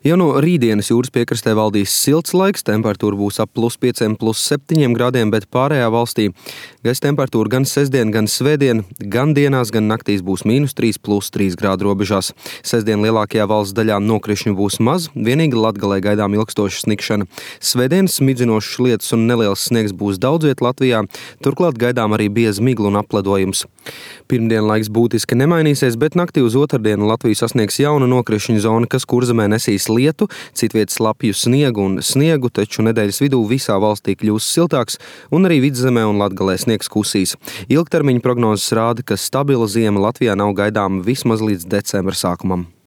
Jau no rītdienas jūras piekrastē valdīs silts laiks, temperatūra būs ap +5, +7 grādiem, bet pārējā valstī gaisa temperatūra gan sestdien, gan svētdien, gan dienās, gan naktīs būs -3, +3 grādu robežās. Sestdien lielākajā valsts daļā nokrišņu būs maz, vienīgi Latgalē gaidām ilgstoša sniegšana. Svētdien smidzinošs lietus un neliels sniegs būs daudz viet Latvijā, turklāt gaidām arī bieza migla un apledojums. Pirmdien laiks būtiski nemainīsies, bet naktī uz otrdienu Latviju sasniegs jauna nokrišņu zona, kas Kurzemē nesīs lietu, citviet slapju sniegu, taču nedēļas vidū visā valstī kļūs siltāks un arī Vidzemē un Latgalē sniegs kusīs. Ilgtermiņa prognozes rāda, ka stabila ziema Latvijā nav gaidāma vismaz līdz decembra sākumam.